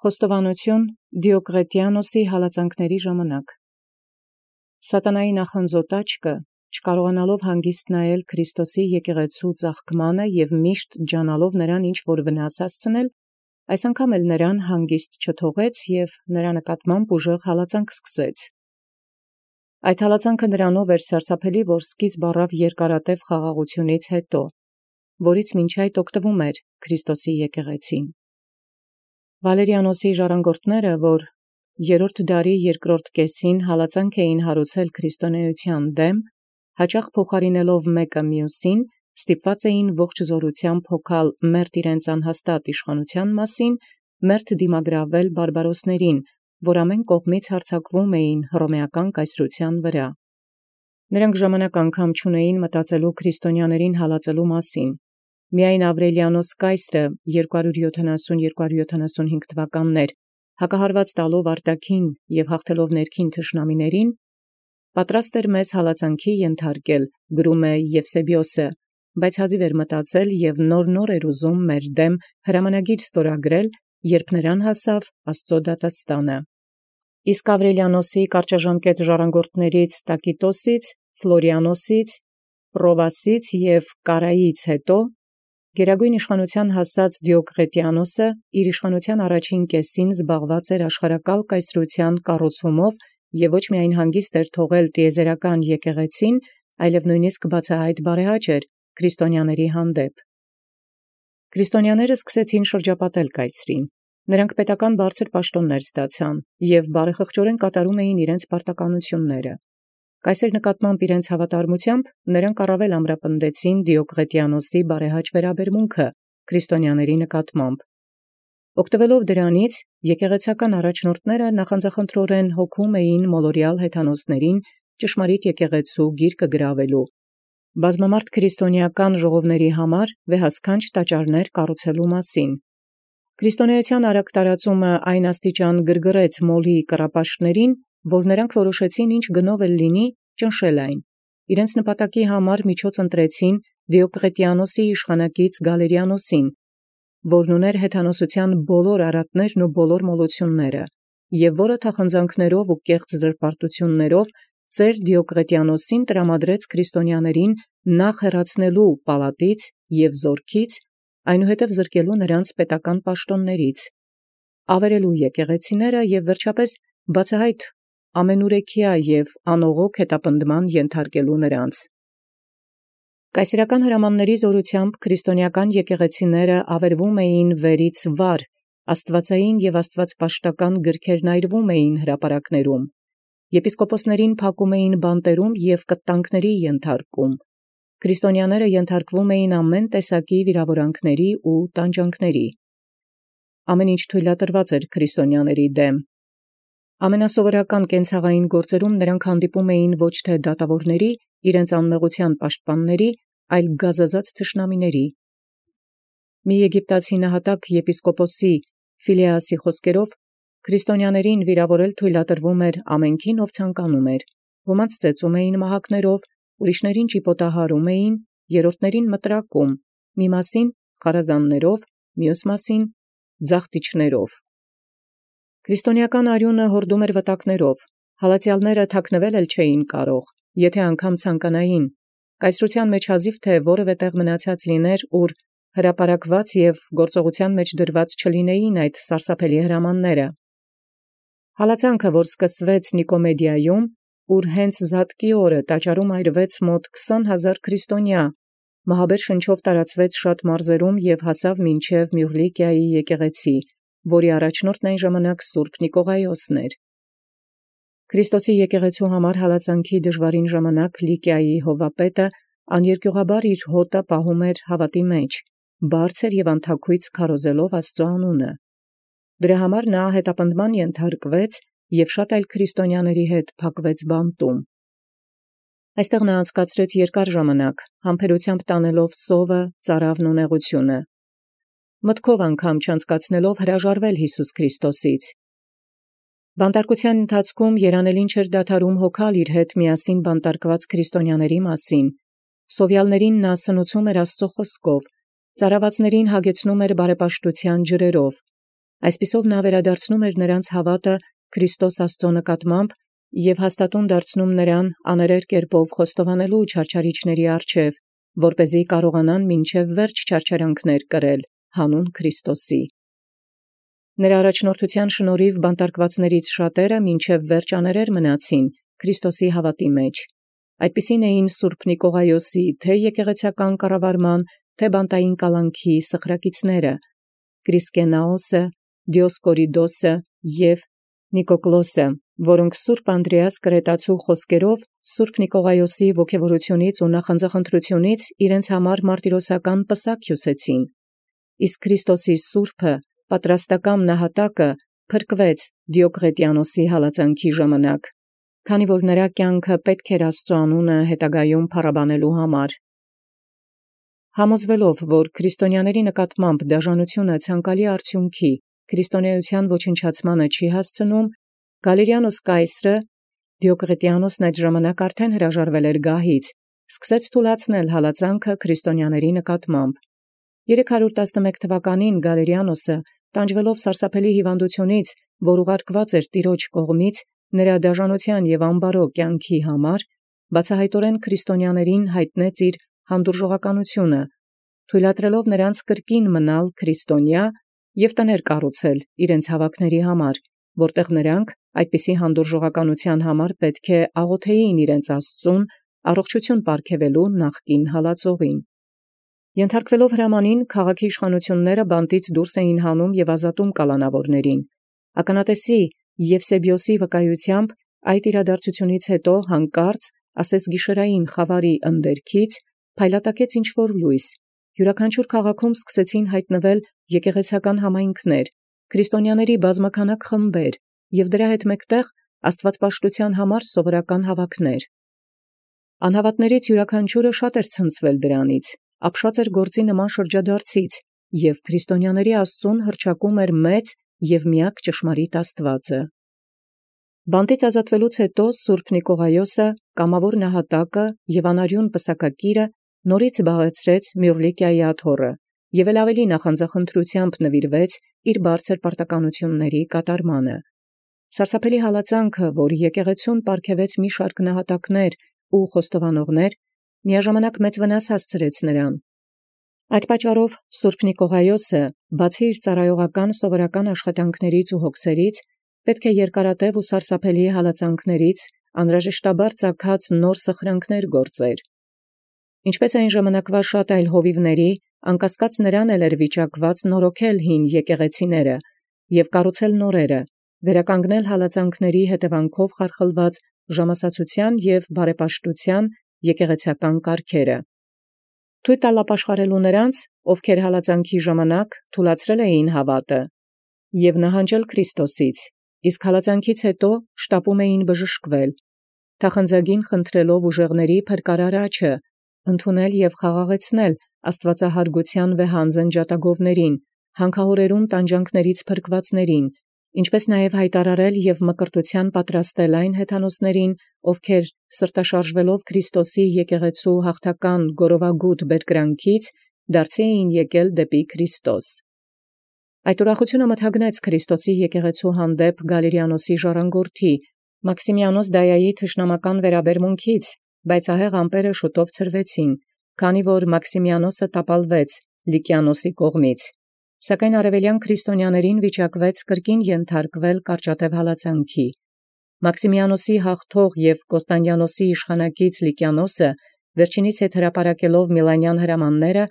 Խոստովանություն Դիոկլետիանոսի հալածանքների ժամանակ։ Սատանայի նախանձոտ աչքը, չկարողանալով հանգիստ նայել Քրիստոսի եկեղեցու ծաղկմանը և միշտ ջանալով նրան ինչ-որ վնաս հասցնել, այս անգամ էլ նրան հանգիստ չթողեց և նրա նկատմամբ ուժեղ հալածանք սկսեց։ Այդ հալածանքը նրանով էր սարսափելի, որ սկիզբ առավ երկարատև խաղաղությունից հետո, որից մինչ այդ օգտվում էր Քրիստոսի եկեղեցին։ Վալերիանոսի ժառանգորդները, որ երրորդ դարի երկրորդ կեսին հալածանք էին հարուցել քրիստոնեության դեմ, հաճախ փոխարինելով մեկը մյուսին, ստիպված էին ողջ զորությամբ հոգալ մերթ իրենց անհաստատ իշխանության մասին, մերթ դիմագրավել բարբարոսներին, որ ամեն կողմից հարձակվում էին հռոմեական կայսրության վրա։ Նրանք ժամանակ անգամ չունեին մտածելու քրիստոնյաներին հալածելու մասին։ Միայն Ավրելիանոս կայսրը 270-275 թվականներ հակահարված տալով արտաքին և հաղթելով ներքին թշնամիներին, պատրաստ էր մեզ հալածանքի ենթարկել, գրում է Եվսեբիոսը, բայց հազիվ էր մտածել և նոր էր ուզում մեր դեմ հրամանագիր ստորագրել, երբ նրան հասավ Աստծո դատաստանը։ Իսկ Ավրելիանոսի կարճաժամկետ ժառանգորդներից Տակիտոսից, Ֆլորիանոսից, Պրովասից և Կարայից հետո գերագույն իշխանության հասած Դիոկլետիանոսը իր իշխանության առաջին կեսին զբաղված էր աշխարհակալ կայսրության կառուցումով և ոչ միայն հանգիստ էր թողել տիեզերական եկեղեցին, այլև նույնիսկ բացահայտ բարեհաճ էր քրիստոնյաների հանդեպ։ Քրիստոնյաները սկսեցին շրջապատել կայսրին։ Նրանք պետական բարձր պաշտոններ ստացան և բարեխղճորեն կատարում էին իրենց պարտականությունները։ Կայսեր նկատմամբ իրենց հավատարմությամբ նրանք առավել ամրապնդեցին Դիոկլետիանոսի բարեհաճ վերաբերմունքը քրիստոնյաների նկատմամբ։ Օգտվելով դրանից, եկեղեցական առաջնորդները նախանձախնդրորեն հոգում էին մոլորյալ հեթանոսներին ճշմարիտ եկեղեցու գիրկը գրավելու, բազմամարդ քրիստոնեական ժողովների համար վեհասքանչ տաճարներ կառուցելու մասին։ Քրիստոնեության արագ տարածումը այն աստիճան գրգռեց մոլի կռապաշտներին, որ նրանք որոշեցին ինչ գնով էլ լինի ճնշել այն։ Իրենց նպատակի համար միջոց ընտրեցին Դիոկլետիանոսի իշխանակից Գալերիանոսին, որն ուներ հեթանոսության բոլոր արատներն ու բոլոր մոլությունները, և որը թախանձանքներով ու կեղծ զրպարտություններով ծեր Դիոկլետիանոսին տրամադրեց քրիստոնյաներին նախ հեռացնելու պալատից և զորքից, այնուհետև զրկելու նրանց պետական պաշտոններից, ավերելու եկեղեցիները և վերջապես բացահայտ ամենուրեքյա և անողոք հետապնդման ենթարկելու նրանց։ Կայսերական հրամանների զորությամբ քրիստոնեական եկեղեցիները ավերվում էին վերից վար, աստվածային և աստվածպաշտական գրքերն այրվում էին հրապարակներում, եպիսկոպոսներին փակում էին բանտերում և կտանքների ենթարկում, քրիստոնյաները ենթարկվում էին ամեն տեսակի վիրավորանքների ու տանջանքների։ Ամեն ինչ թույլատրված էր քրիստոնյաների դեմ։ Ամենասովորական կենցաղային գործերում նրանք հանդիպում էին ոչ թե դատավորների, իրենց անմեղության պաշտպանների, այլ գազազած թշնամիների։ Մի եգիպտացի նահատակ եպիսկոպոսի Ֆիլեասի խոսքերով, քրիստոնյաներին վիրավորել թույլատրվում էր ամենքին, ով ցանկանում էր, ոմանց ծեծում էին մահակներով, ուրիշներին ճիպոտահարում էին, երրորդներին մտրակում, մի մասին խարազաններով, մյուս մասին ձախտիչներով։ Քրիստոնեական արյունը հորդում էր վտակներով, հալածյալները թաքնվել էլ չէին կարող, եթե անգամ ցանկանային, կայսրության մեջ հազիվ թե որևէ տեղ մնացած լիներ, ուր հրապարակված և գործողության մեջ դրված չլինեին այդ սարսափելի հրամանները։ Հալածանքը, որ սկսվեց Նիկոմեդիայում, ուր հենց Զատկի օրը տաճարում այրվեց մոտ 20,000 քրիստոնյա, մահաբեր շնչով տարածվեց շատ մարզերում և հասավ մինչև Մյուռլիկիայի եկեղեցի, որի առաջնորդն այն ժամանակ Սուրբ Նիկողայոսն էր։ Քրիստոսի եկեղեցու համար հալածանքի դժվարին ժամանակ Լիկիայի հովվապետը աներկյուղաբար իր հոտը պահում էր հավատի մեջ, բարձր և անթաքույց քարոզելով Աստծո անունը։ Դրա համար նա հետապնդման ենթարկվեց և շատ այլ քրիստոնյաների հետ փակվեց բանտում։ Այստեղ նա անցկացրեց երկար ժամանակ, համբերությամբ տանելով սովը, ծարավն ու նեղությունը, մտքով անգամ չանցկացնելով հրաժարվել Հիսուս Քրիստոսից։ Բանտարկության ընթացքում երանելին չէր դադարում հոգալ իր հետ միասին բանտարկված քրիստոնյաների մասին, սովյալներին նա սնուցում էր Աստծո խոսքով, ծարավածներին հագեցնում էր բարեպաշտության ջրերով, Այսպիսով նա վերադարձնում էր նրանց հաւատը Քրիստոս Աստուծոյ նկատմամբ և հաստատուն դարձնում նրան աներեր կերպով խոստովանելու չարչարիչների առջև, որպեսզի կարողանան մինչև վերջ չարչարանքներ կրել հանուն Քրիստոսի։ Նրա առաջնորդության շնորհիվ բանտարկվածներից շատերը մինչև վերջ աներեր մնացին Քրիստոսի հաւատի մեջ։ Այդպիսին էին սուրբ Նիկողայոսի թե եկեղեցական կառավարման, թե բանտային կալանքի սխրակիցները, Կրիսկենաոսը, Դիոսկորիդոսը և Նիկոկլոսը, որոնք սուրբ Անդրեաս կրետացու խոսքերով սուրբ Նիկողայոսի ոգևորությունից ու նախանձախնդրությունից իրենց համար մարտիրոսական պսակ հյուսեցին, իսկ Քրիստոսի սուրբը պատրաստական նահատակը փրկվեց Դիոկլետիանոսի հալածանքի ժամանակ, քանի որ նրա կյանքը պետք էր Աստծո անունը հետագայում փառաբանելու համար։ Համոզվելով, որ քրիստոնյաների նկատմամբ դաժանությունը ցանկալի արդյունքի քրիստոնեության ոչնչացմանը չի հասցնում, Գալերիանոս Կայսրը, Դիոկլետիանոսն այդ ժամանակ արդեն հրաժարվել էր գահից, սկսեց թուլացնել հալածանքը քրիստոնյաների նկատմամբ։ 311 թվականին Գալերիանոսը, տանջվելով սարսափելի հիվանդությունից, որ ուղարկված էր Տիրոջ կողմից, նրա դաժանության և անբարո կյանքի համար, բացահայտորեն քրիստոնյաներին հայտնեց իր հանդուրժողականությունը, թույլատրելով նրանց կրկին մնալ քրիստոնյա և տներ կառուցել իրենց հաւաքների համար, որտեղ նրանք այդպիսի հանդուրժողականության համար պետք է աղոթեին իրենց Աստծուն առողջություն պարգևելու նախկին հալածողին։ Ենթարկվելով հրամանին, քաղաքի իշխանությունները բանտից դուրս էին հանում և ազատում կալանավորներին։ Ականատեսի Եվսեբիոսի վկայությամբ այդ իրադարձությունից հետո հանկարծ, ասես գիշերային խավարի ընդերքից, փայլատակեց ինչ-որ լույս, յուրաքանչյուր քաղաքում սկսեցին հայտնվել եկեղեցական համայնքներ, քրիստոնյաների բազմաքանակ խմբեր և դրա հետ մեկտեղ աստվածպաշտության համար սովորական հաւաքներ։ Անհավատներից յուրաքանչյուրը շատ էր ցնցվել դրանից, ապշած էր գործի նման շրջադարձից և քրիստոնյաների Աստծուն հռչակում էր մեծ և միակ ճշմարիտ Աստուածը։ Բանտից ազատվելուց հետո սուրբ Նիկողայոսը, կամավոր նահատակը և անարյուն պսակակիրը նորից զբաղեցրեց Մյուռլիկիայի աթոռը և ավելի նախանձախնդրությամբ նվիրվեց իր բարձր պարտականությունների կատարմանը։ Սարսափելի հալածանքը, որ եկեղեցուն պարգևեց մի շարք նահատակներ ու խոստովանողներ, միաժամանակ մեծ վնաս հասցրեց նրան։ Այդ պատճառով սուրբ Նիկողայոսը, բացի իր ծառայողական սովորական աշխատանքներից ու հոգսերից, պետք է երկարատև ու սարսափելի հալածանքներից անհրաժեշտաբար ծագած նոր սխրանքներ գործեր։ Ինչպես այն ժամանակվա շատ այլ հովիվների, անկասկած նրան էլ էր վիճակված նորոգել հին եկեղեցիները և կառուցել նորերը, վերականգնել հալածանքների հետևանքով խարխլված ժամասացության և բարեպաշտության եկեղեցական կարգերը։ Թույլ տալ ապաշխարելու նրանց, ովքեր հալածանքի ժամանակ թուլացրել էին հաւատը, և նահանջել Քրիստոսից, իսկ հալածանքից հետո շտապում էին բժշկվել, թախանձագին խնդրելով ուժեղների փրկարար աջը, ընդունել և խաղաղեցնել աստվածահարգության վեհանձն ջատագովներին, հանքահորերում տանջանքներից փրկվածներին, ինչպես նաև հայտարարել և մկրտության պատրաստել այն հեթանոսներին, ովքեր սրտաշարժվելով Քրիստոսի եկեղեցու հաղթական գորովագութ բերկրանքից, դարձի էին եկել դեպի Քրիստոս։ Այդ ուրախությունը մթագնեց Քրիստոսի եկեղեցու հանդեպ Գալերիանոսի ժառանգորդի Մաքսիմիանոս Դայայի թշնամական վերաբերմունքից, բայց ահեղ ամպերը շուտով ցրվեցին, քանի որ Մաքսիմիանոսը տապալվեց Լիկիանոսի կողմից, սակայն արևելյան քրիստոնյաներին վիճակվեց կրկին ենթարկվել կարճատև հալածանքի։ Մաքսիմիանոսի հաղթող և Կոստանդիանոսի իշխանակից Լիկիանոսը վերջինիս հետ հրապարակելով Միլանյան հրամանները,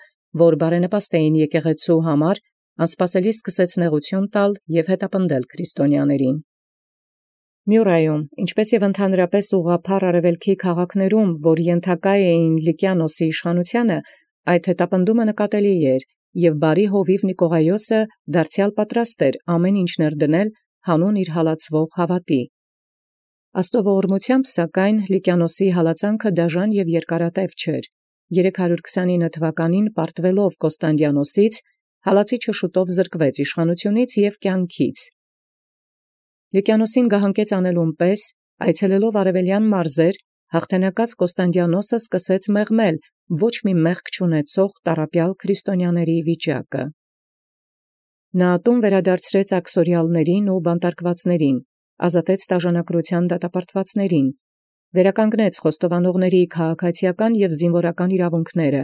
որ բարենպաստ էին եկեղեցու համար, անսպասելի սկսեց նեղություն տալ և հետապնդել քրիստոնյաներին։ Մյուրայում, ինչպես և ընդհանրապես ուղղափառ արևելքի քաղաքներում, որ ենթակա էին Լիկիանոսի իշխանությանը, այդ հետապնդումը նկատելի էր, և բարի հովիվ Նիկողայոսը դարձյալ պատրաստ էր ամեն ինչ ներդնել հանուն իր հալածվող հաւատի։ Աստծո ողորմությամբ, սակայն, Լիկիանոսի հալածանքը դաժան և երկարատև չէր։ 329 թվականին պարտվելով Կոստանդիանոսից, հալածիչը շուտով զրկվեց իշխանությունից և կյանքից։ Լիկիանոսին գահանկեց անելուն պես, այցելելով արևելյան մարզեր, հաղթանակած Կոստանդիանոսը սկսեց մեղմել ոչ մի մեղք չունեցող տառապյալ քրիստոնյաների վիճակը։ Նա տուն վերադարձրեց աքսորիալներին ու բանտարկվածներին, ազատեց տաժանակրության դատապարտվածներին, վերականգնեց խոստովանողների քաղաքացիական և զինվորական իրավունքները,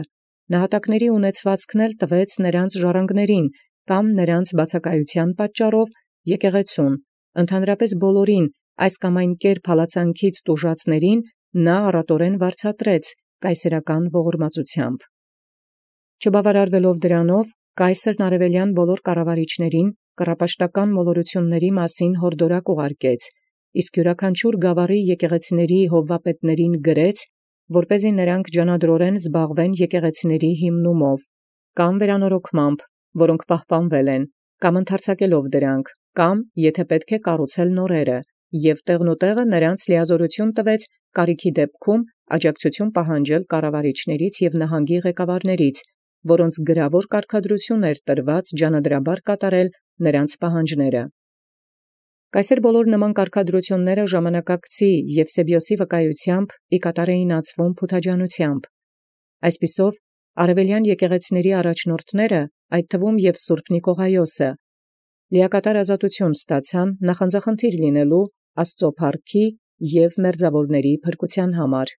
նահատակների ունեցվածքն էլ տվեց նրանց ժառանգներին կամ նրանց բացակայության պատճառով եկեղեցուն, ընդհանրապես բոլորին այս կամ այն կերպ հալածանքից տուժածներին նա առատորեն վարձատրեց կայսերական ողորմածությամբ։ Չբավարարվելով դրանով, կայսերն արևելյան բոլոր կառավարիչներին կռապաշտական մոլորությունների մասին հորդորակ ուղարկեց, իսկ յուրաքանչյուր գավառի եկեղեցիների հովվապետներին գրեց, որպեսզի նրանք ջանադրորեն զբաղվեն եկեղեցիների հիմնումով, կամ վերանորոգմամբ, որոնք պահպանվել են, կամ ընդարձակելով դրանք, կամ եթե պետք է կառուցել նորերը, և տեղնուտեղը նրանց լիազորություն տվեց կարիքի դեպքում աջակցություն պահանջել կառավարիչներից և նահանգի ղեկավարներից, որոնց գրավոր կարգադրություն էր տրված ջանադրաբար կատարել նրանց պահանջները։ Կայսեր բոլոր նման կարգադրությունները ժամանակակցի Եվսեբիոսի վկայությամբ ի կատար էին ածվում փութաջանությամբ։ Այսպիսով, արևելյան եկեղեցիների առաջնորդները, այդ թվում և Սուրբ Նիկողայոսը, լիակատար ազատություն ստացան նախանձախնդիր լինելու Աստծո փառքի և մերձաւորների փրկության համար։